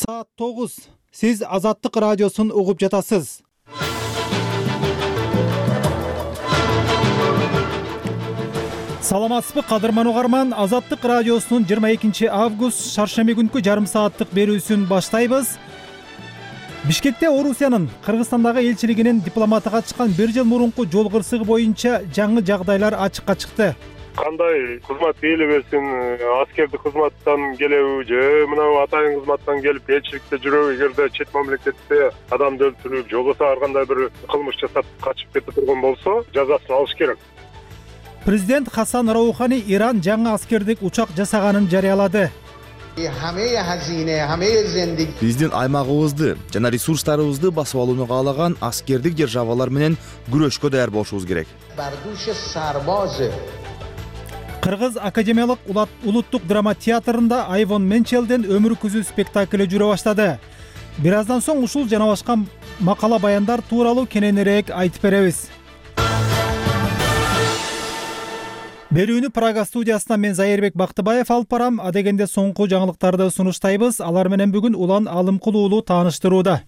Саат 9. Сиз Азаттык радиосун угуп жатасыз. Саламатсызбы кадырман угарман, Азаттык радиосунун 22 август шаршемби күнкү жарым сааттык берүүсүн баштайбыз. Бишкекте Орусиянын Кыргызстандагы элчилигинин дипломатыга чыккан 1 жыл мурунку жол кырсыгы боюнча жаңы жагдайлар ачыкка чыкты. Кандай кызмат ээлебесин, аскердик кызматтан келеби же мына атайын кызматтан келип элчиликте жүрөбү, эгерде чет мамлекетте адамды өлтүрүп, же болбосо ар кандай бир кылмыш жасап качып кете турган болсо, жазасын алыш керек. Президент Хасан Раухани Иран жаңы аскердик учак жасаганын жарыялады. Биздин аймагыбызды жана ресурстарыбызды басып алууну каалаган аскердик державалар менен күрөшкө даяр болушубуз керек. Кыргыз академиялык улуттук драма театрында Айвон Менчелден өмүр күзү спектакли жүрө баштады. Бир аздан соң ушул жана башка макала баяндар тууралуу кененирээк айтып беребиз. Берүүнү Прага студиясынан мен Зайырбек Бактыбаев алып барам. Адегенде соңку жаңылыктарды сунуштайбыз. Алар менен бүгүн Улан Алымкулуулу тааныштырууда.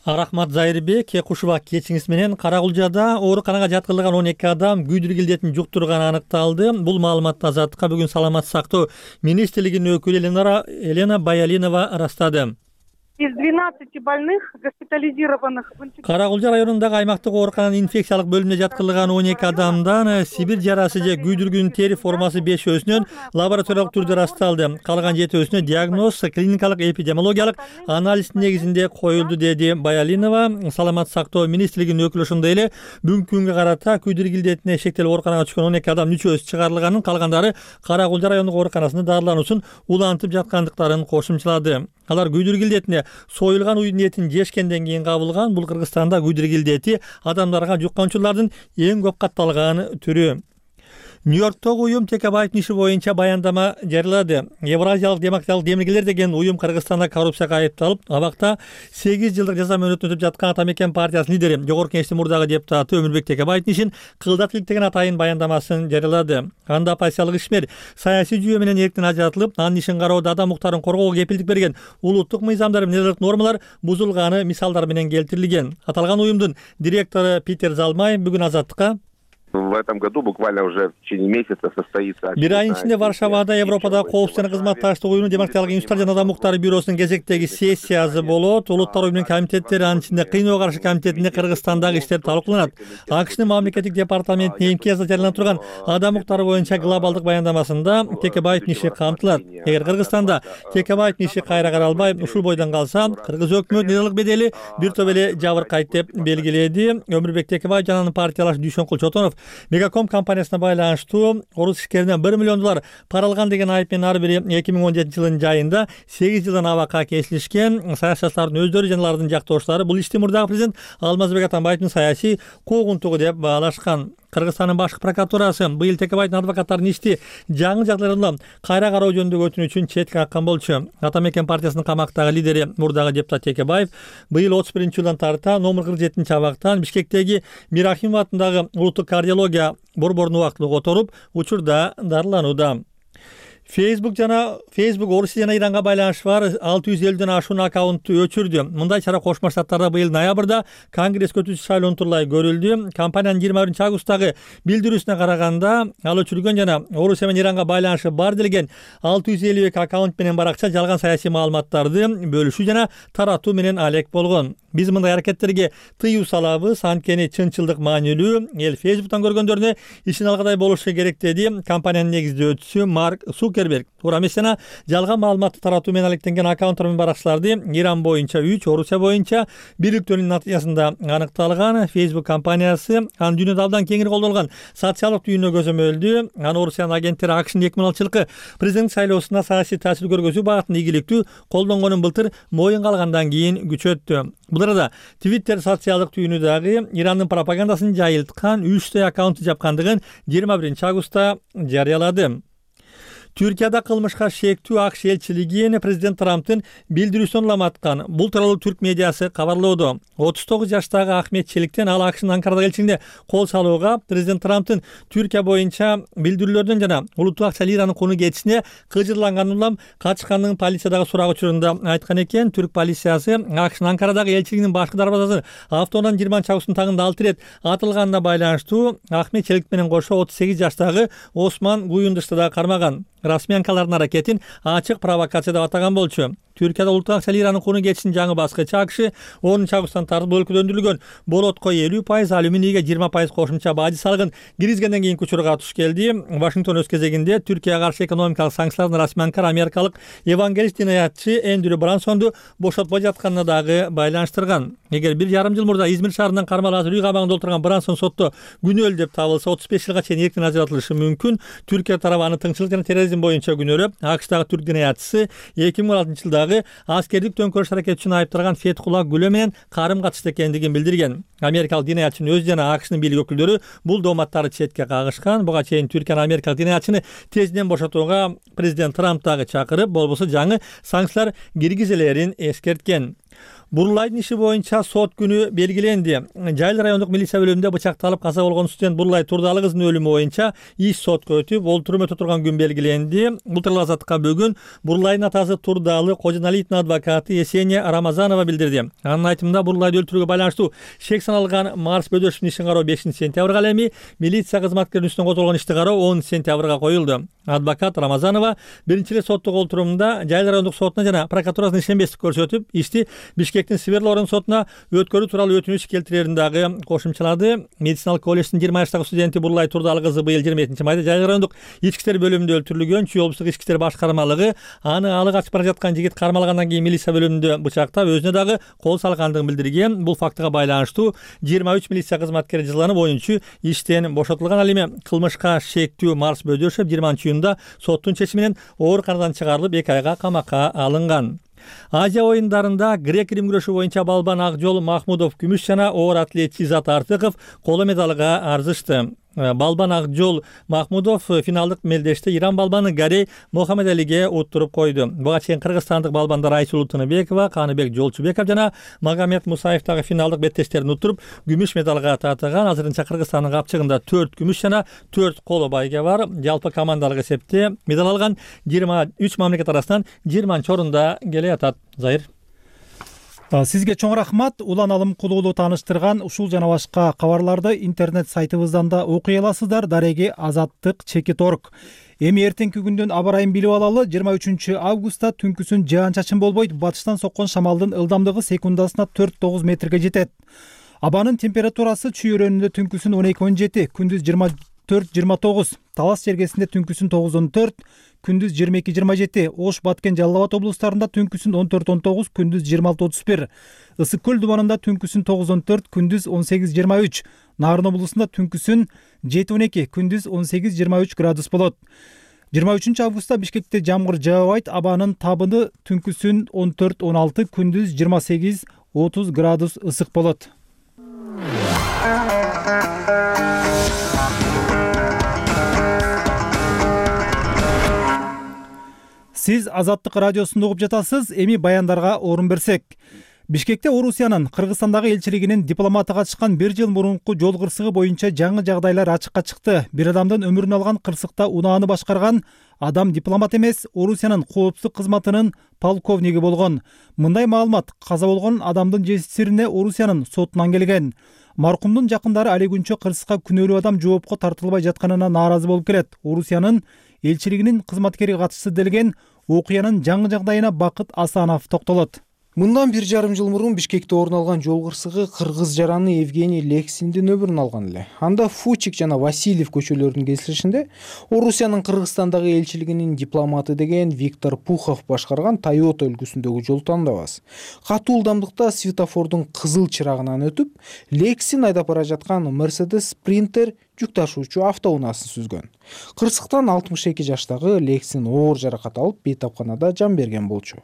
Рахмат Зайырбек, кушубак кечиңиз менен Карагулжада ооруканага жаткырылган 12 адам күйдүргү илдетин жуктурганы аныкталды. Бул маалыматты Азаттыкка бүгүн саламаттык сактоо министрлигинин өкүлү Елена Баялинова ырастады. Из 12 больных госпитализированных Карагулжа районундагы аймактык оорукананын инфекциялык бөлүмүнө жаткырылган 12 адамдан сибир жарасы же күйдүргүнүн тери формасы 5-өсүнөн лабораториялык түрдө ырасталды. Калган 7-өсүнө диагноз клиникалык эпидемиологиялык анализ негизинде коюлду, деди Баялинова. Саламаттык сактоо министрлигинин өкүлү ошондой эле бүгүнкү күнгө карата күйдүргү илдетине шектелип ооруканага түшкөн 12 адамдын 3-өсү чыгарылганын, калгандары Карагулжа райондук ооруканасында дарылануусун улантып жаткандыктарын кошумчалады. Алар күйдүргү илдетине союлган уйдун этин жешкенден кийин кабылган. Бул Кыргызстанда күйдүргү илдети адамдарга жукканчулардын эң көп катталган түрү. Нью-Йорктогу уюм Текебаевдин иши боюнча баяндама жарыялады. Евразиялык демократиялык демилгелер деген уюм Кыргызстанда коррупцияга айыпталып, абакта 8 жылдык жаза мөөнөтүн өтүп жаткан Атамекен партиясынын лидери, Жогорку Кеңештин мурдагы депутаты Өмүрбек Текебаевдин ишин кылдат иликтеген атайын баяндамасын жарыялады. Анда оппозициялык ишмер саясий жүйө менен эрктен ажыратылып, анын ишин кароодо адам укуктарын коргоого кепилдик берген улуттук мыйзамдар менен нормалар бузулганы мисалдар менен келтирилген. Аталган уюмдун директору Питер Залмай бүгүн Азаттыкка: В этом году буквально уже в течение месяца состоится... Бир айдын ичинде Варшавада Европадагы коопсуздук жана кызматташтык уюмунун демократиялык институттар жана адам укуктары бюросунун кезектеги сессиясы болот. Улуттар уюмунун комитеттери, анын ичинде Кыйноого каршы комитетинде Кыргызстандагы иштер талкууланат. АКШнын мамлекеттик департаментинин имтиязда жарыяланып турган адам укуктары боюнча глобалдык баяндамасында Текебаевдин иши камтылат. Эгер Кыргызстанда Текебаевдин иши кайра каралбай, ушул бойдон калса, кыргыз өкмөт нелдик бедели бир топ эле жабыркайт деп белгиледи. Өмүрбек Текебаев жана анын партиялаш Дүйшөнкул Чотонов Мегаком компаниясына байланыштуу орус ишкеринен $1 миллион пара алган деген айып менен ар бири 2017 жылдын жайында 8 жылдан абакка кесилишкен. Саясатчылардын өздөрү жана алардын жактоошулары бул ишти мурдагы президент Алмазбек Атамбаевдин саясий куугунтугу деп баалашкан. Кыргызстандын башкы прокуратурасы быйыл Текебаевдин адвокаттарынын ишти жаңы жагдайларда кайра кароо жөнүндөгү өтүнүч үчүн четке каккан болчу. Атамекен партиясынын камактагы лидери мурдагы депутат Текебаев быйыл 31-жылдан тарта номер 47 абактан Бишкектеги Мирахимов атындагы улуттук кардиология борборунун убактылуу которуп, учурда дарыланууда. Facebook Орусия жана Иранга байланышы бар 650ден ашуун аккаунтту өчүрдү. Мындай чара Кошмо Штаттарда быйыл ноябрда Конгресс өтүүчү шайлоо турулай көрүлдү. Компаниянын 21-августтагы билдирүүсүнө караганда, ал өчүргөн жана Орусия менен Иранга байланышы бар делген 652 аккаунт менен баракча жалган саясий маалыматтарды бөлүшүү жана таратуу менен алек болгон. Биз мындай аракеттерге тыюу салабыз, анткени чынчылдык маанилүү. Эл Facebook'тан көргөндөрүнө ишин алгадай болушу керек, деди компаниянын негиздөөчүсү Марк Цукерберг. Туура эмес жана жалган маалыматты таратуу менен алектенген аккаунттар менен баракчыларды Иран боюнча 3, Орусия боюнча бириктөөнүн натыйжасында аныкталган. Facebook компаниясы анын дүйнөдө абдан кеңири колдонулган социалдык түйүнүнө көзөмөлдү. Аны Орусиянын агенттери АКШнын 2006-жылкы президент шайлоосуна саясий таасир көргөзүү багытында ийгиликтүү колдонгонун былтыр моюнга алгандан кийин күчөттү. Бул арада Twitter социалдык түйүнү дагы Ирандын пропагандасын жайылткан 3 аккаунтту жапкандыгын 21-августта жарыялады. Түркияда кылмышка шектүү АКШ элчилигин президент Трамптын билдирүүсүн уламаткан. Бул тууралуу түрк медиасы кабарлоодо. 39 жаштагы Ахмет Челиктен ал АКШнын Анкарадагы элчилигине кол салууга президент Трамптын Түркия боюнча билдирүүлөрдөн жана улуттук акча лиранын куну кетишине кыжырланганын улам качканын полициядагы сурак учурунда айткан экен. Түрк полициясы АКШнын Анкарадагы элчилигинин башкы дарбазасы автоунан 20-августтун тагында 6 ирет атылганына байланыштуу Ахмет Челик менен кошо 38 жаштагы Осман Гуюндушты да кармаган. Расмий анкалардын аракетин ачык провокация деп атаган болчу. Түркияда улуттук акча лиранын куну кетишинин жаңы баскычы АКШ 10-августтан тартып өлкөлөндүрүлгөн болотко 50%, алюминийге 20% кошумча бажы салыгын киргизгенден кийинки учурга туш келди. Вашингтон өз кезегинде Түркияга каршы экономикалык санкцияларды расмий Анкара америкалык евангелист динаятчы Эндрю Брансонду бошотпой жатканына дагы байланыштырган. Эгер 1,5 жыл мурда Измир шаарынан кармалып үй кабагында отурган Брансон сотто күнөөлүү деп табылса 35 жылга чейин эркин ажыратылышы мүмкүн. Түркия тарабы аны тыңчылык жана терроризм боюнча күнөөлөп, АКШдагы түрк динаятчысы 2016 жылдагы аскердик төңкөрүш аракети үчүн айыпталган Фетхулла Гүлө менен карым катышты экендигин билдирген. Америкалык динаятчынын өзү жана АКШнын бийлик өкүлдөрү бул дооматтарды четке кагышкан. Буга чейин Түркиянын америкалык динаятчыны тезинен бошотууга президент Трамп дагы чакырып, болбосо жаңы санкциялар киргизилерин эскерткен. Бурлайдын иши боюнча сот күнү белгиленди. Жайыл райондук милиция бөлүмүндө бычакталып каза болгон студент Бурлай Турдалы кыздын өлүмү боюнча иш сотко өтүп, ол турум өтө турган күн белгиленди. Бул тууралуу Азаттыкка бүгүн Бурлайдын атасы Турдалы Кожоналиевдин адвокаты Есения Рамазанова билдирди. Анын айтымында Бурлайды өлтүрүүгө байланыштуу шек саналган Марс Бөдөшевдин ишин кароо 5-сентябрга, ал эми милиция кызматкеринин үстүнөн козголгон ишти кароо 10-сентябрга коюлду. Адвокат Рамазанова биринчи эле соттук олтурумда Жайыл райондук сотуна жана прокуратурасына ишенбестик көрсөтүп, ишти Бишкектин Сверлорун сотуна өткөрүү тууралуу өтүнүч келтирерин дагы кошумчалады. Медициналык колледждин 20 жаштагы студенти Бурлай Турдалы кызы быйыл 27 майда Жайыл райондук ички иштер бөлүмүндө өлтүрүлгөн. Чүй облустук ички иштер башкармалыгы аны алы качып бара жаткан жигит кармалгандан кийин милиция бөлүмүндө бычактап, өзүнө дагы кол салгандыгын билдирген. Бул фактыга байланыштуу 23 милиция кызматкери жазаланып, оюнчу иштен бошотулган. Ал эми кылмышка шектүү Марс Бөдөшев 20-июнда соттун чечими менен оор чыгарылып 2 айга камакка алынган. Азия оюндарында грек-рим күрөшү боюнча балбан Акжол Махмудов күмүш жана оор атлет Изат Артыков коло медалга арзышты. Балбан Акжол Махмудов финалдык мелдеште Иран балбаны Гарей Мохаммедалиге уттуруп койду. Буга чейин кыргызстандык балбандар Айсулуу Тыныбекова, Каныбек Жолчубеков жана Магомед Мусаев дагы финалдык беттештерин уттуруп күмүш медалга татыган. Азырынча Кыргызстандын капчыгында 4 күмүш жана 4 коло байге бар. Жалпы командалык эсепте медаль алган 23 мамлекет арасынан 20-орунда келе жатат. Зайыр. Сизге чоң рахмат. Улан Алымкулуулу тааныштырган ушул жана башка кабарларды интернет сайтыбыздан да окуй аласыздар. Дареги azattik.org. Эми эртеңки күндүн аба ырайын билип алалы. 23 августта түнкүсүн жаан-чачын болбойт. Батыштан соккон шамалдын ылдамдыгы секундасына 4-9 метрге жетет. Абанын температурасы чүй өрөөнүндө түнкүсүн 12-17, күндүз 24-29, Талас жергесинде түнкүсүн 9-14, күндүз 22-27, Ош, Баткен, Жалал Абад облустарында түнкүсүн 14-19, күндүз 26-31, Ысык көл дубанында түнкүсүн 9-14, күндүз 18-23, Нарын облусунда түнкүсүн 7-12, күндүз 18-23 градус болот. 23 августта Бишкекте жамгыр жаабайт, абанын табыны түнкүсүн 14-16, күндүз 28-30 градус ысык болот. Сиз Азаттык радиосунда угуп жатасыз. Эми баяндарга орун берсек. Бишкекте Орусиянын Кыргызстандагы элчилигинин дипломаты катышкан 1 жыл мурунку жол кырсыгы боюнча жаңы жагдайлар ачыкка чыкты. Бир адамдын өмүрүн алган кырсыкта унааны башкарган адам дипломат эмес, Орусиянын коопсуздук кызматынын полковниги болгон. Мындай маалымат каза болгон адамдын жесирине Орусиянын сотунан келген. Маркумдун жакындары али күнчө кырсыкка күнөөлүү адам жоопко тартылбай жатканына нааразы болуп келет. Орусиянын элчилигинин кызматкери катышты делген окуянын жаңы жагдайына Бакыт Асанов токтолот. Мындан 1,5 жыл мурун Бишкекте орун алган жол кырсыгы кыргыз жараны Евгений Лексиндин өмүрүн алган эле. Анда Фучик жана Васильев көчөлөрүнүн кесилишинде Орусиянын Кыргызстандагы элчилигинин дипломаты деген Виктор Пухов башкарган Toyota үлгүсүндөгү жол тандабас. Катуу ылдамдыкта светофордун кызыл чырагынан өтүп, Лексин айдап бара жаткан Mercedes Sprinter жүк ташуучу автоунаасын сүзгөн. Кырсыктан 62 жаштагы Лексин оор жаракат алып бейтапканада жан берген болчу.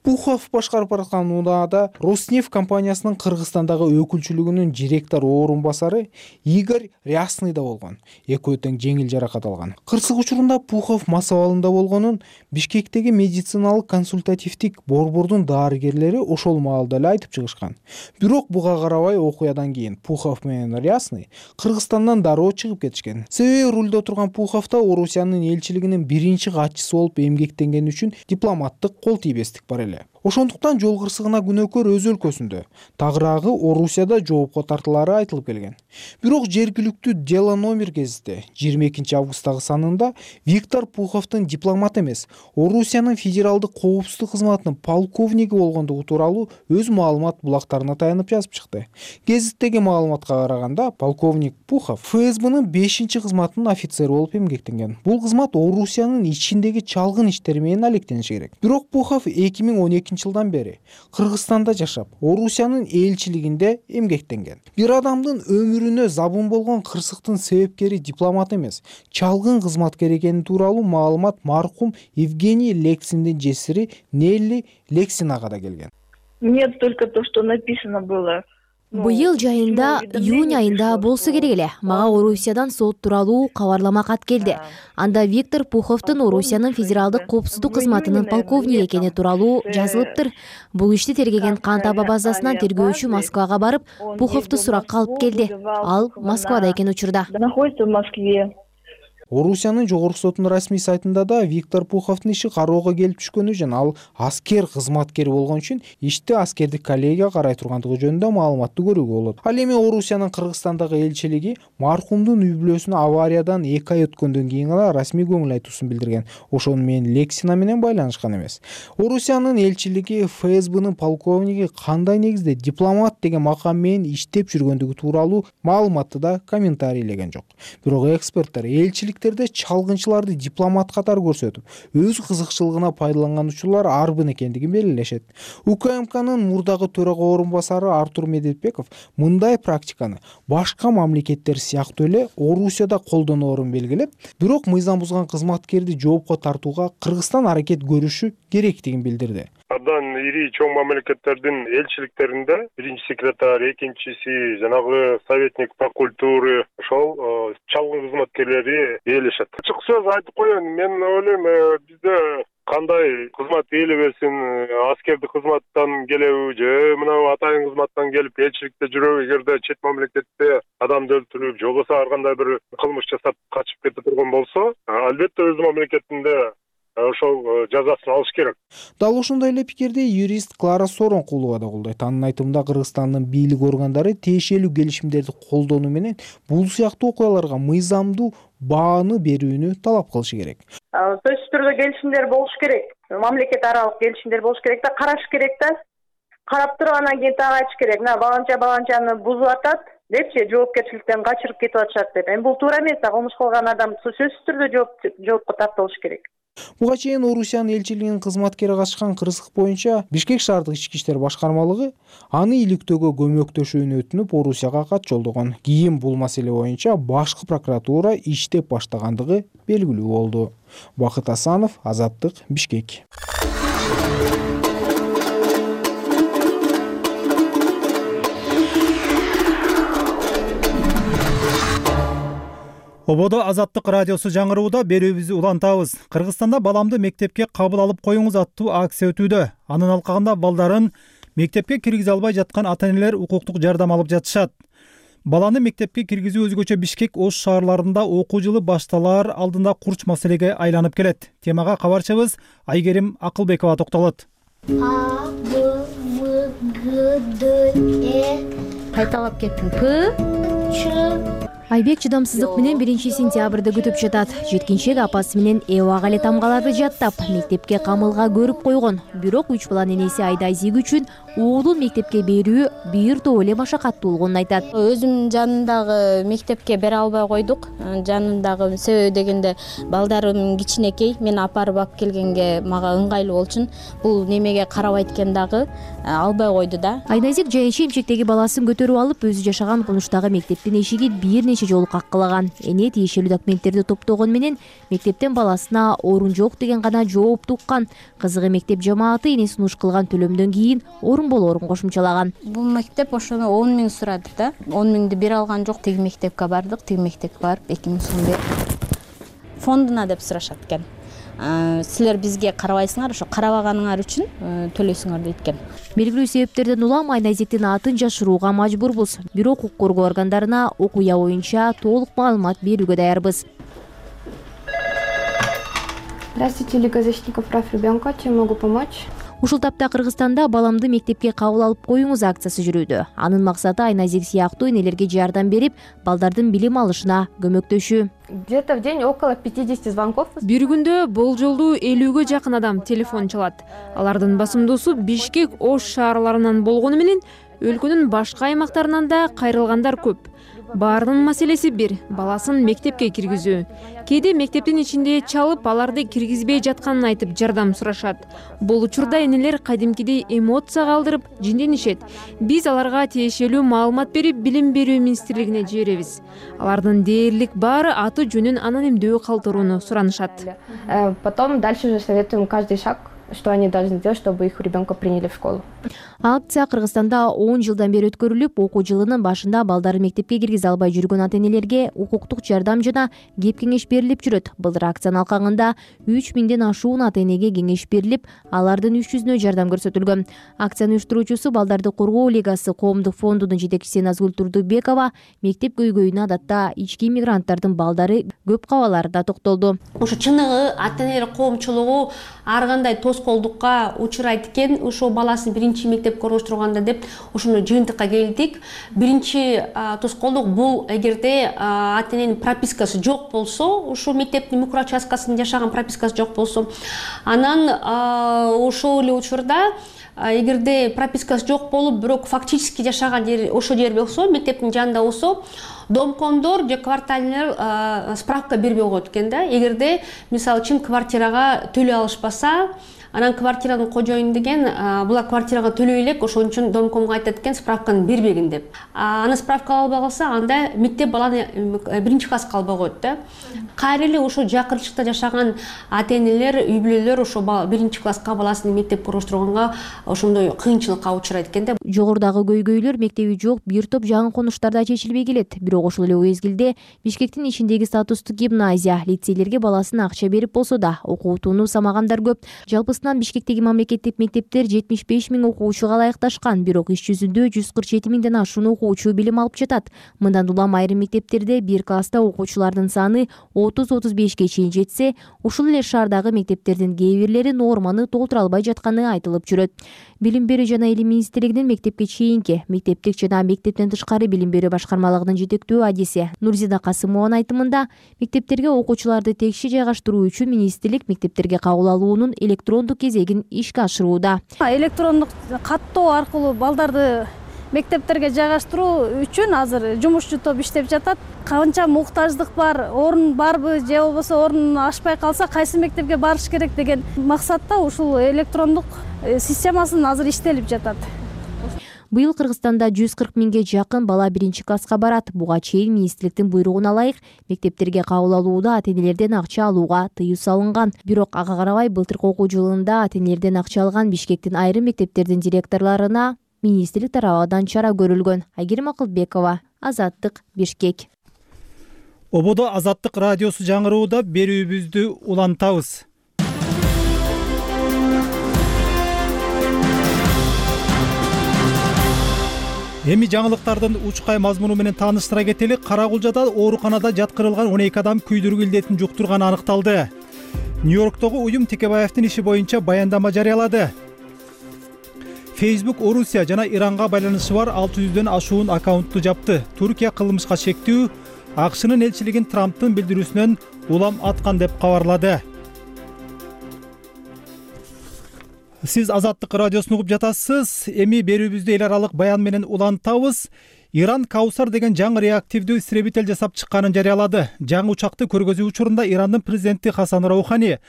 Пухов башкарып бараткан унаада Роснефть компаниясынын Кыргызстандагы өкүлчүлүгүнүн директор орун басары Игорь Рясный да болгон. Экөө тең жеңил жаракат алган. Кырсык учурунда Пухов мас абалында болгонун Бишкектеги медициналык консультативдик борбордун дарыгерлери ошол маалда эле айтып чыгышкан. Бирок буга карабай окуядан кийин Пухов менен Рясный Кыргызстандан дароо чыгып кетишкен. Себеби рулде турган Пухов да Орусиянын элчилигинин биринчи катчысы болуп эмгектенгени үчүн дипломаттык кол тийбестик бар эле. Ошондуктан жол кырсыгына күнөөкөр өз өлкөсүндө, тагыраагы Орусияда жоопко тартылары айтылып келген. Бирок жергиликтүү Дело номер гезити 22 августтагы санында Виктор Пуховдун дипломат эмес, Орусиянын федералдык коопсуздук кызматынын полковниги болгондугу тууралуу өз маалымат булактарына таянып жазып чыкты. Гезиттеги маалыматка караганда, полковник Пухов ФСБнын 5-кызматынын офицери болуп эмгектенген. Бул кызмат Орусиянын ичиндеги чалгын иштери менен алектениши керек. Бирок Пухов 2012 жылдан бери Кыргызстанда жашап, Орусиянын элчилигинде эмгектенген. Бир адамдын өмүрүнө забун болгон кырсыктын себепкери дипломат эмес, чалгын кызматкер экени тууралуу маалымат маркум Евгений Лексиндин жесири Нелли Лексинага да келген. Нет, только то, что написано было. Быйыл жайында, июнь айында болсо керек эле. Мага Орусиядан сот тууралуу кабарлама кат келди. Анда Виктор Пуховдун Орусиянын федералдык коопсуздук кызматынын полковниги экени тууралуу жазылыптыр. Бул ишти тергеген Кантаба базасынан тергөөчү Москвага барып, Пуховду суракка алып келди. Ал Москвада экен учурда. Находится в Москве. Орусиянын жогорку сотунун расмий сайтында да Виктор Пуховдун иши кароого келип түшкөнү жана ал аскер кызматкери болгон үчүн ишти аскердик коллегия карай тургандыгы жөнүндө маалыматты көрүүгө болот. Ал эми Орусиянын Кыргызстандагы элчилиги маркумдун үй бүлөсүнө авариядан 2 ай өткөндөн кийин гана расмий көңүл айтуусун билдирген. Ошону менен Лексина менен байланышкан эмес. Орусиянын элчилиги ФСБнын полковниги кандай негизде дипломат деген макам менен иштеп жүргөндүгү тууралуу маалыматты да комментарийлеген жок. Бирок эксперттер элчилик чалгынчыларды дипломат катары көрсөтүп, өз кызыкчылыгына пайдаланган учурлар арбын экендигин белгилешет. УКМКнын мурдагы төрага орун басары Артур Медетбеков мындай практиканы башка мамлекеттер сыяктуу эле Орусияда колдоноорун белгилеп, бирок мыйзам бузган кызматкерди жоопко тартууга Кыргызстан аракет көрүшү керектигин билдирди. Абдан ири чоң мамлекеттердин элчиликтеринде биринчи секретарь, экинчиси, жанагы советник по культуре ошол чалгын кызматкерлери ээлешет. Ачык сөз айтып коеюн, мен ойлойм, бизде кандай кызмат ээлебесин, аскердик кызматтан келеби же мына атайын кызматтан келип элчиликте жүрөбү, эгерде чет мамлекетте адамды өлтүрүп, же болбосо ар кандай бир кылмыш жасап качып кете турган болсо, албетте өз мамлекетинде ошол жазасын алыш керек. Дал ошондой эле пикирди юрист Клара Соронкулова да колдойт. Анын айтымында Кыргызстандын бийлик органдары тиешелүү келишимдерди колдонуу менен бул сыяктуу окуяларга мыйзамдуу бааны берүүнү талап кылышы керек. Сөзсүз түрдө келишимдер болуш керек. Мамлекет аралык келишимдер болуш керек да, караш керек да. Карап тургандан кийин так айтыш керек. Мына баланчаны бузуп атат депчи, жоопкерчиликтен качырып кетип атышат деп. Эми бул туура эмес, кылмыш кылган адам сөзсүз түрдө жоопко тартылыш керек. Буга чейин Орусиянын элчилигинин кызматкери катышкан кырсык боюнча Бишкек шаардык ички иштер башкармалыгы аны иликтөөгө көмөктөшүүнү өтүнүп Орусияга кат жолдогон. Кийин бул маселе боюнча башкы прокуратура иштеп баштагандыгы белгилүү болду. Бакыт Асанов, Азаттык, Бишкек. Ободо Азаттык радиосу жаңырууда берүүбүздү улантабыз. Кыргызстанда баламды мектепке кабыл алып коюңуз аттуу акция өтүүдө. Анын алкагында балдарын мектепке киргизе албай жаткан ата-энелер укуктук жардам алып жатышат. Баланы мектепке киргизүү өзгөчө Бишкек, Ош шаарларында окуу жылы башталаар алдында курч маселеге айланып келет. Темага кабарчыбыз Айгерим Акылбекова токтолот. А, Б, В, Г, Д, Э. Кайталап кеттим. П, Ч. Айбек чыдамсыздык менен 1-сентябрда күтүп жатат. Жеткинчек апасы менен эбага эле тамгаларды жаттап, мектепке камылга көрүп койгон. Бирок 3 баланын энеси Айдай Зиг үчүн уулун мектепке берүү бир топ эле машакаттуу болгонун айтат. Өзүмдүн жанымдагы мектепке бере албай койдук. Жанымдагы себеби дегенде балдарым кичинекей, мен апарып алып келгенге мага ыңгайлуу болчун. Бул немеге карабайт экен дагы албай койду да. Айназик жайынча эмчектеги баласын көтөрүп алып, өзү жашаган конуштагы мектептин эшигин бир нече жолу каккылаган. Эне тиешелүү документтерди топтогон менен мектептен баласына орун жок деген гана жоопту уккан. Кызыгы мектеп жамааты эне сунуш кылган төлөмдөн кийин орун болоорун кошумчалаган. Бул мектеп ошону 10 миң сурады да. 10 миңди бере алган жок. Тиги мектепке бардык, тиги мектепке барып 2 миң сом берип фондуна деп сурашат экен. Силер бизге карабайсыңар, ошо карабаганыңар үчүн төлөйсүңөр дейт экен. Белгилүү себептерден улам Айназиктин атын жашырууга мажбурбуз. Бирок укук коргоо органдарына окуя боюнча толук маалымат берүүгө даярбыз. Здравствуйте, Лига защитников прав ребенка. Чем могу помочь? Ушул тапта Кыргызстанда баламды мектепке кабыл алып коюңуз акциясы жүрүүдө. Анын максаты Айназик сыяктуу энелерге жардам берип, балдардын билим алышына көмөктөшүү. Где-то в день около 50 звонков. Бир күндө болжолдуу 50-гө жакын адам телефон чалат. Алардын басымдуусу Бишкек, Ош шаарларынан болгону менен өлкөнүн башка аймактарынан да кайрылгандар көп. Баарынын маселеси бир, баласын мектепке киргизүү. Кээде мектептин ичинде чалып, аларды киргизбей жатканын айтып жардам сурашат. Бул учурда энелер кадимкидей эмоцияга алдырып жинденишет. Биз аларга тиешелүү маалымат берип, билим берүү министрлигине жиберебиз. Алардын дээрлик баары аты жөнүн анонимдүү калтырууну суранышат. Потом дальше уже советуем каждый шаг, что они должны сделать, чтобы их ребенка приняли в школу. Акция Кыргызстанда 10 жылдан бери өткөрүлүп, окуу жылынын башында балдары мектепке киргизе албай жүргөн ата-энелерге укуктук жардам жана кеп кеңеш берилип жүрөт. Былтыр акциянын алкагында 3000ден ашуун ата-энеге кеңеш берилип, алардын 300-үнө жардам көрсөтүлгөн. Акциянын уюштуруучусу Балдарды коргоо лигасы коомдук фондунун жетекчиси Назгүл Турдубекова мектеп көйгөйүнө адатта ички иммигранттардын балдары көп кабаларында токтолду. Ошо чыныгы ата-энелер коомчулугу ар кандай тоскоолдукка учурайт экен, ошо баласын биринчи мектепке ороштурганда деп ошону жыйынтыкка келдик. Биринчи тоскоолдук бул эгерде ата-эненин пропискасы жок болсо, ошол мектептин микроучасткасында жашаган пропискасы жок болсо, анан ошол эле учурда эгерде пропискасы жок болуп, бирок фактически жашаган жери ошол жер болсо, мектептин жанында болсо, домкомдор же квартальный справка бербей коет экен да. Эгерде мисалы үчүн квартирага төлөй алышпаса, анан квартиранын кожоюну деген булар квартирага төлөй элек, ошон үчүн домкомго айтат экен справканы бербегин деп. Аны справка албай калса, анда мектеп баланы биринчи класска албай коет да. Кайра эле ошо жакынчылыкта жашаган ата-энелер, үй бүлөлөр ошо биринчи класска баласын мектепке ороштурганга ошондой кыйынчылыкка учурайт экен да. Жогорудагы көйгөйлөр мектеби жок бир топ жаңы конуштарда чечилбей келет. Бирок ошол эле мезгилде Бишкектин ичиндеги статустук гимназия, лицейлерге баласын акча берип болсо да, окуутууну самагандар көп. Жалпысынан Бишкектеги мамлекеттик мектептер 75 миң окуучуга ылайыкташкан, бирок иш жүзүндө 147 миңден ашуун окуучу билим алып жатат. Мындан улам айрым мектептерде бир класста окуучулардын саны 30-35ге чейин жетсе, ушул эле шаардагы мектептердин кээ бирлери норманы толтура албай жатканы айтылып жүрөт. Билим берүү жана илим министрлигинин мектепке чейинки, мектептик жана мектептен тышкары билим берүү башкармалыгынын жетектүү адиси Нурзида Касымованын айтымында, мектептерге окуучуларды текши жайгаштыруу үчүн министрлик мектептерге кабыл алуунун электрондук кезегин ишке ашырууда. Электрондук каттоо аркылуу балдарды мектептерге жайгаштыруу үчүн азыр жумушчу топ иштеп жатат. Канча муктаждык бар, орун барбы же болбосо орун ашпай калса кайсы мектепке барыш керек деген максатта ушул электрондук системасын азыр иштелип жатат. Быйыл Кыргызстанда 140 миңге жакын бала биринчи класска барат. Буга чейин министрликтин буйругуна ылайык мектептерге кабыл алууда ата-энелерден акча алууга тыюу салынган. Бирок ага карабай былтыркы окуу жылында ата-энелерден акча алган Бишкектин айрым мектептердин директорлоруна министрлик тарабынан чара көрүлгөн. Айгерим Акылбекова, Азаттык, Бишкек. Ободо Азаттык радиосу жаңырууда берүүбүздү улантабыз. Эми жаңылыктардын учкай мазмуну менен тааныштыра кетели. Карагулжада ооруканада жаткырылган 12 адам күйдүрүк илдетин жуктурганы аныкталды. Нью-Йорктогу уюм Текебаевдин иши боюнча баяндама жарыялады. Facebook Орусия жана Иранга байланышы бар 600дөн ашуун аккаунтту жапты. Туркия кылмышка шектүү АКШнын элчилигин Трамптын билдирүүсүнөн улам аткан деп кабарлады. Сиз Азаттык радиосун угуп жатасыз. Эми берүүбүздү эл аралык баян менен улантабыз. Иран Каусар деген жаңы реактивдүү истребитель жасап чыкканын жарыялады. Жаңы учакты көргөзүү учурунда Ирандын президенти Хасан Роухани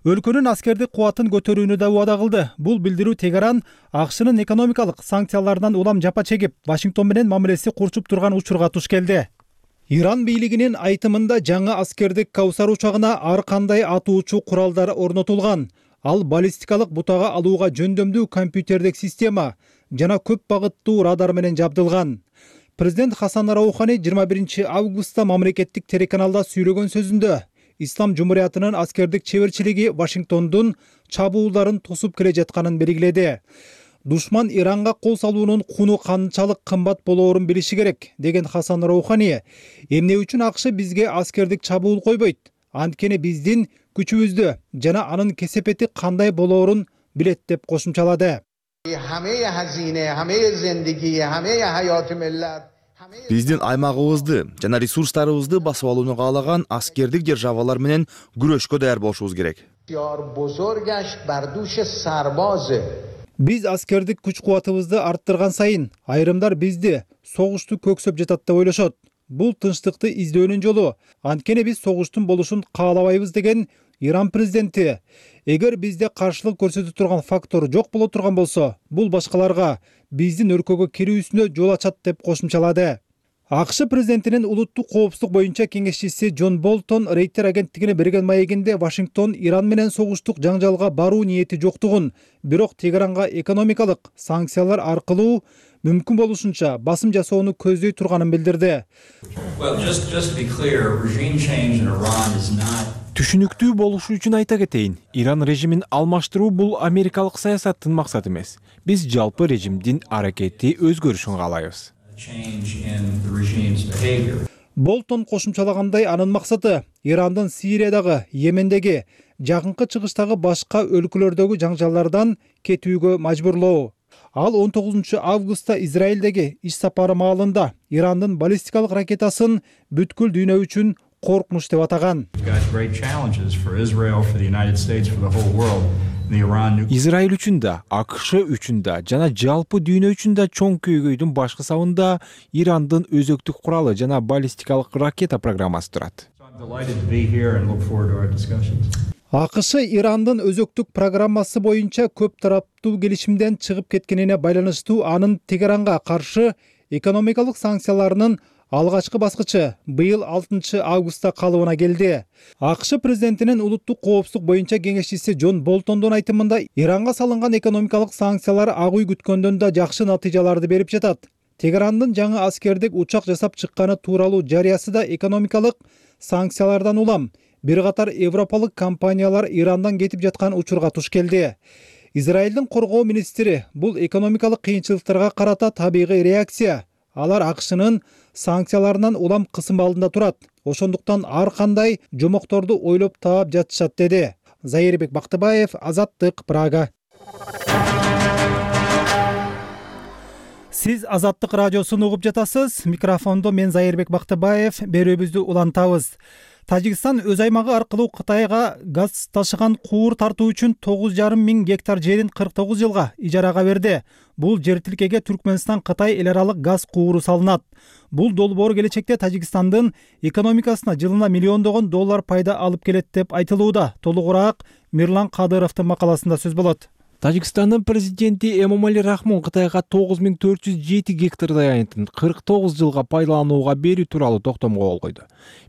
өлкөнүн аскердик кубатын көтөрүүнү да убада кылды. Бул билдирүү Тегеран АКШнын экономикалык санкцияларынан улам жапа чегип, Вашингтон менен мамилеси курчуп турган учурга туш келди. Иран бийлигинин айтымында жаңы аскердик Каусар учагына ар кандай атуучу куралдар орнотулган. Ал баллистикалык бутага алууга жөндөмдүү компьютердик система жана көп багыттуу радар менен жабдылган. Президент Хасан Роухани 21 августта мамлекеттик телеканалда сүйлөгөн сөзүндө Ислам Жумуриятынын аскердик чеберчилиги Вашингтондун чабуулдарын тосуп келе жатканын белгиледи. Душман Иранга кол салуунун куну канчалык кымбат болоорун билиши керек, деген Хасан Роухани, эмне үчүн АКШ бизге аскердик чабуул койбойт? Анткени биздин күчүбүздү жана анын кесепети кандай болоорун билет деп кошумчалады. Биздин аймагыбызды жана ресурстарыбызды басып алууну каалаган аскердик державалар менен күрөшкө даяр болушубуз керек. Биз аскердик күч-кубатыбызды арттырган сайын айрымдар бизди согушту көксөп жатат деп ойлошот. Бул тынчтыкты издөөнүн жолу. Анткени биз согуштун болушун каалабайбыз, деген Иран президенти. Эгер бизде каршылык көрсөтө турган фактор жок боло турган болсо, бул башкаларга биздин өлкөгө кирүүсүнө жол ачат деп кошумчалады. АКШ президентинин улуттук коопсуздук боюнча кеңешчиси Джон Болтон Рейтер агенттигине берген маегинде Вашингтон Иран менен согуштук жаңжалга баруу ниети жоктугун, бирок Тегеранга экономикалык санкциялар аркылуу мүмкүн болушунча басым жасоону көздөй турганын билдирди. Түшүнүктүү болушу үчүн айта кетейин, Иран режимин алмаштыруу бул америкалык саясаттын максаты эмес. Биз жалпы режимдин аракети өзгөрүшүн каалайбыз. Болтон кошумчалагандай, анын максаты Ирандын Сириядагы, Йемендеги, жакынкы чыгыштагы башка өлкөлөрдөгү жаңжалдардан кетүүгө мажбурлоо. Ал 19 августта Израилдеги иш сапары маалында Ирандын баллистикалык ракетасын бүткүл дүйнө үчүн коркунуч деп атаган. Израиль үчүн да, АКШ үчүн да жана жалпы дүйнө үчүн да чоң көйгөйдүн башкы сабында Ирандын өзөктүк куралы жана баллистикалык ракета программасы турат. АКШ Ирандын өзөктүк программасы боюнча көп тараптуу келишимден чыгып кеткенине байланыштуу анын Тегеранга каршы экономикалык санкцияларынын алгачкы баскычы быйыл 6 августта калыбына келди. АКШ президентинин улуттук коопсуздук боюнча кеңешчиси Джон Болтондун айтымында Иранга салынган экономикалык санкциялар ак үй күткөндөн да жакшы натыйжаларды берип жатат. Тегерандын жаңы аскердик учак жасап чыкканы тууралуу жарыясы да экономикалык санкциялардан улам бир катар европалык компаниялар Ирандан кетип жаткан учурга туш келди. Израилдин коргоо министри бул экономикалык кыйынчылыктарга карата табигый реакция. Алар АКШнын санкцияларынан улам кысым алдында турат. Ошондуктан ар кандай жомокторду ойлоп таап жатышат, деди. Зайырбек Бактыбаев, Азаттык, Прага. Сиз Азаттык радиосун угуп жатасыз. Микрофондо мен Зайырбек Бактыбаев. Берүүбүздү улантабыз. Тажикстан өз аймагы аркылуу Кытайга газ ташыган куур тартуу үчүн 9,5 миң гектар жерин 49 жылга ижарага берди. Бул жер тилкеге Түркмөнстан Кытай эл аралык газ кууру салынат. Бул долбоор келечекте Тажикстандын экономикасына жылына миллиондогон доллар пайда алып келет деп айтылууда. Толугураак Мирлан Кадыровдун макаласында сөз болот. Тажикстандын президенти Эмомали Рахмон Кытайга 9407 гектардай айнтын 49 жылга пайдаланууга берүү тууралуу токтомго кол койду.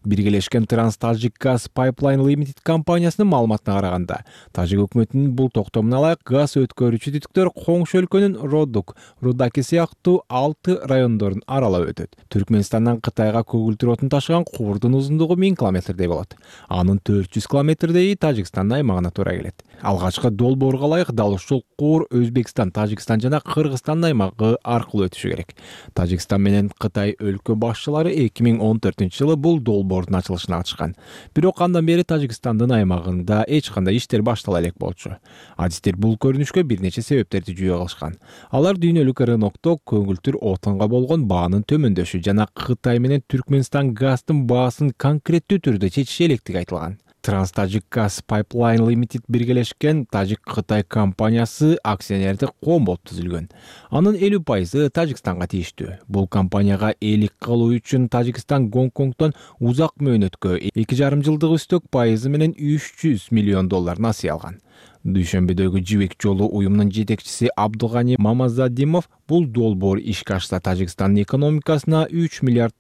Биргелешкен Транс-Тажик Газ Pipeline Limited компаниясынын маалыматына караганда, Тажик өкмөтүнүн бул токтомуна ылайык газ өткөрүүчү түтүктөр коңшу өлкөнүн Родук, Рудаки сыяктуу 6 райондорун аралап өтөт. Түркмөнстандан Кытайга көгүлтүр отун ташыган куурдун узундугу 1000 километрдей болот. Анын 400 километрдей Тажикстандын аймагына туура келет. Алгачкы долбоорго ылайык дал ушул куур Өзбекстан, Тажикстан жана Кыргызстандын аймагы аркылуу өтүшү керек. Тажикстан менен Кытай өлкө башчылары 2014-жылы бул долбоордун ачылышына катышкан. Бирок андан бери Тажикстандын аймагында эч кандай иштер баштала элек болчу. Адистер бул көрүнүшкө бир нече себептерди жүйө кылышкан. Алар дүйнөлүк рынокто көгүлтүр отунга болгон баанын төмөндөшү жана Кытай менен Түркмөнстан газдын баасын конкреттүү түрдө чечиши электиги айтылган. Транстажик Газ Pipeline Limited биргелешкен Тажик-Кытай компаниясы акционердик коом болуп түзүлгөн. Анын 50% Тажикстанга тийиштүү. Бул компанияга ээлик кылуу үчүн Тажикстан Гонконгдон узак мөөнөткө 2,5 жылдык үстөк пайызы менен $300 миллион насыя алган. Дүйшөмбөдөгү жибек жолу уюмунун жетекчиси Абдулгани Мамазадимов бул долбоор ишке ашса Тажикстандын экономикасына $3 миллиард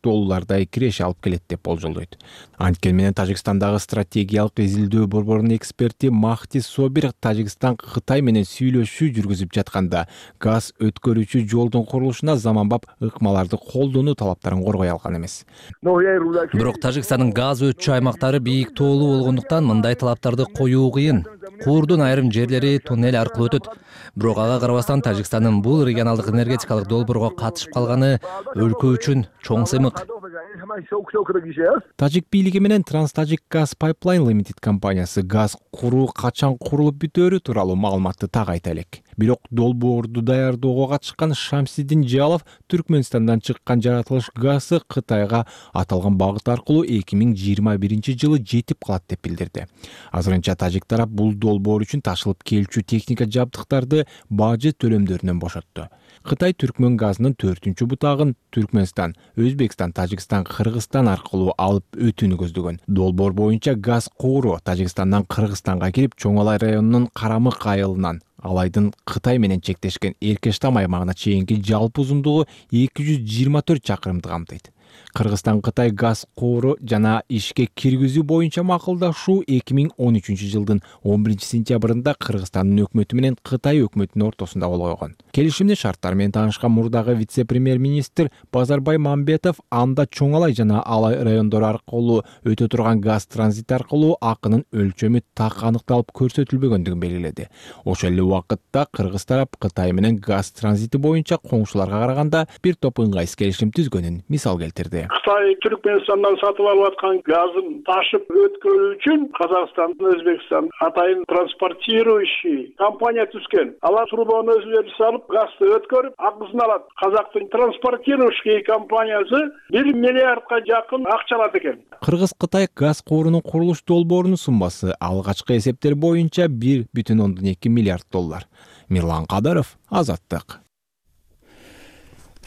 киреше алып келет деп болжолдойт. Анткени менен Тажикстандагы стратегиялык изилдөө борборунун эксперти Махти Собир Тажикстан Кытай менен сүйлөшүү жүргүзүп жатканда газ өткөрүүчү жолдун курулушуна заманбап ыкмаларды колдонуу талаптарын коргой алган эмес. Бирок Тажикстандын газ өтчү аймактары бийик тоолуу болгондуктан мындай талаптарды коюу кыйын. Куурдун айрым жерлери туннель аркылуу өтөт. Бирок ага карабастан Тажикстандын бул регионалдык энергетикалык долбоорго катышып калганы өлкө үчүн чоң сыймык. Тажик бийлиги менен Транстажик Газ Pipeline Limited компаниясы газ куруу качан курулуп бүтөөрү тууралуу маалыматты так айта элек. Бирок долбоорду даярдоого катышкан Шамсидин Жалов Түркмөнстандан чыккан жаратылыш газы Кытайга аталган багыт аркылуу 2021-жылы жетип калат деп билдирди. Азырынча тажик тарап бул долбоор үчүн ташылып келчү техника жабдыктарды бажы төлөмдөрүнөн бошотту. Кытай Түркмөн газынын 4-чү бутагын Түркмөнстан, Өзбекстан, Тажикстан, Кыргызстан аркылуу алып өтүүнү көздөгөн. Долбоор боюнча газ кууру Тажикстандан Кыргызстанга кирип, Чоң Алай районунун Карамык айылынан Алайдын Кытай менен чектешкен Эркештам аймагына чейинки жалпы узундугу 224 чакырымды камтыйт. Кыргызстан-Кытай газ кууру жана ишке киргизүү боюнча макулдашуу 2013-жылдын 11-сентябрында Кыргызстандын өкмөтү менен Кытай өкмөтүнүн ортосунда кол койгон. Келишимдин шарттары менен таанышкан мурдагы вице-премьер-министр Базарбай Мамбетов анда Чоң Алай жана Алай райондору аркылуу өтө турган газ транзит аркылуу акынын өлчөмү так аныкталып көрсөтүлбөгөндүгүн белгиледи. Ошол эле убакытта Кыргыз тарап Кытай менен газ транзити боюнча коңшуларга караганда бир топ ыңгайсыз келишим түзгөнүн мисал келтирди. Кытай Түркмөнстандан сатып алып аткан газын ташып өткөрүү үчүн Казакстан, Өзбекстан атайын транспортирующий компания түзгөн. Алар трубону өзүлөрү салып, газды өткөрүп, акысын алат. Казактын транспортирующий компаниясы 1 миллиардга жакын акча алат экен. Кыргыз-Кытай газ куурунун курулуш долбоорунун суммасы алгачкы эсептер боюнча $1,2 миллиард. Мирлан Кадыров, Азаттык.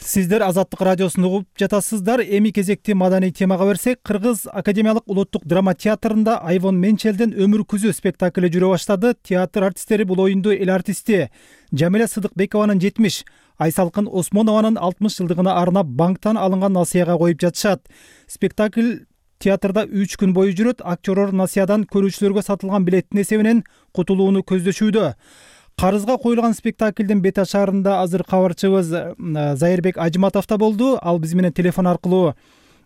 Сиздер Азаттык радиосун угуп жатасыздар. Эми кезекти маданий темага берсек, Кыргыз Академиялык улуттук драма театрында Айвон Менчелдин Өмүр күзү спектакли жүрө баштады. Театр артисттери бул оюнду эл артисти Жамиля Сыдыкбекованын 70, Айсалкын Осмонованын 60 жылдыгына арнап банктан алынган насыяга коюп жатышат. Спектакль театрда 3 күн бою жүрөт. Актерлор насыядан көрүүчүлөргө сатылган билеттин эсебинен кутулууну көздөшүүдө. Карызга коюлган спектаклдин бет ашарында азыр кабарчыбыз Зайырбек Ажматов да болду. Ал биз менен телефон аркылуу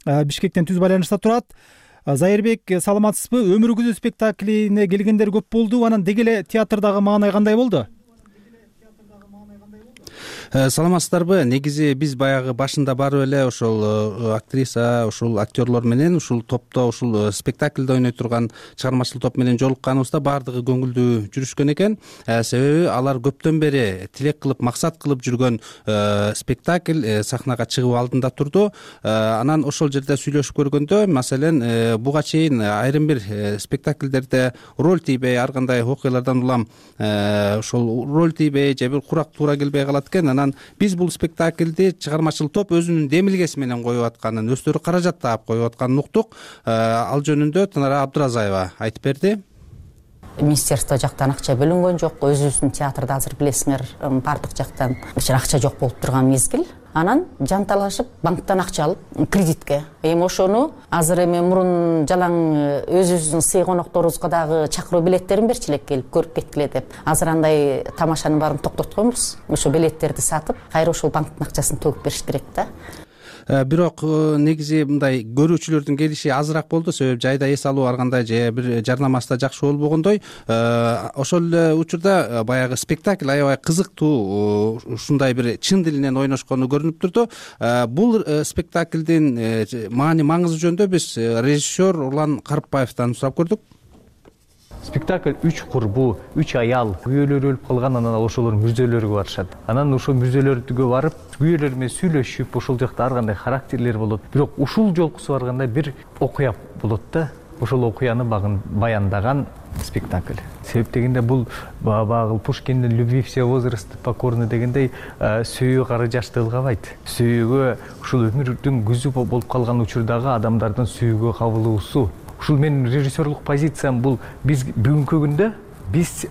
Бишкектен түз байланышта турат. Зайырбек, саламатсызбы? Өмүр күзү спектаклине келгендер көп болду. Анан деги эле театрдагы маанай кандай болду? Саламатсыздарбы? Негизи биз баягы башында барып эле ошол актриса, ошол актерлор менен ушул топто, ушул спектакльде ойной турган чыгармачыл топ менен жолукканыбызда баардыгы көңүлдүү жүрүшкөн экен. Себеби алар көптөн бери тилек кылып, максат кылып жүргөн спектакль сахнага чыгуу алдында турду. Анан ошол жерде сүйлөшүп көргөндө, маселен, буга чейин айрым бир спектакльдерде роль тийбей, ар кандай окуялардан улам ошол роль тийбей же бир курак туура келбей калат экен. Анан биз бул спектакльди чыгармачыл топ өзүнүн демилгеси менен коюп атканын, өздөрү каражат таап коюп атканын уктук. Ал жөнүндө Танара Абдуразаева айтып берди. Министерство жактан акча бөлүнгөн жок. Өзүбүздүн театрда азыр билесиңер, бардык жактан акча жок болуп турган мезгил. Анан жанталашып банктан акча алып кредитке. Эми ошону азыр эми мурун жалаң өзүбүздүн сый конокторубузга дагы чакыруу билеттерин берчи элек келип көрүп кеткиле деп. Азыр андай тамашанын баарын токтотконбуз. Ошо билеттерди сатып, кайра ошол банктын акчасын төгүп бериш керек да. Бирок негизи мындай көрүүчүлөрдүн келиши азыраак болду. Себеби жайда эс алуу ар кандай же бир жарнамасы да жакшы болбогондой. Ошол эле учурда баягы спектакль аябай кызыктуу, ушундай бир чын дилинен ойношкону көрүнүп турду. Бул спектаклдин маңызы жөнүндө биз режиссер Урлан Карпбаевден сурап көрдүк. Спектакль 3 курбу, 3 аял күйөөлөр өлүп калган, анан ошолордун мүрзөлөрүгө барышат. Анан ошол мүрзөлөргө барып, күйөөлөр менен сүйлөшүп, ошол жакта ар кандай характерлер болот. Бирок ушул жолкусу барганда бир окуя болот да. ошол окуяны баяндаган спектакль. Себеп дегенде бул баягы Пушкиндин «Любви все возрасты покорны» дегендей сүйүү кары жашты ылгабайт. Сүйүүгө ушул өмүрдүн күзү болуп калган учурдагы адамдардын сүйүүгө кабылуусу. Ушул менин режиссерлук позициям бул биз бүгүнкү күндө биз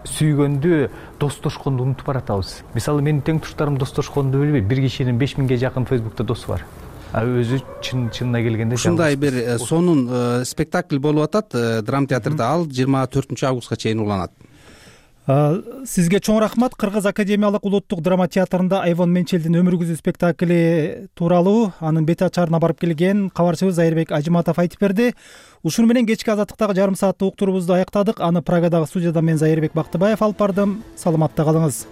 сүйгөндү, достошконду унутуп баратабыз. Мисалы менин тең туштарым достошконду билбейт. Бир кишинин 5000ге жакын Фейсбукта досу бар. Өзү чынына келгенде ушундай бир сонун спектакль болуп атат драма театрда. Ал 24 августка чейин уланат. Сизге чоң рахмат. Кыргыз академиялык улуттук драма театрында Айвон Менчелдин өмүр күзү спектакли тууралуу анын бет ачарына барып келген кабарчыбыз Айырбек Ажыматов айтып берди. Ушуну менен кечки азаттыктагы жарым сааттык уктуруубузду аяктадык. Аны Праgadагы студияда мен Айырбек Бактыбаев алып бардым. Саламатта калыңыз.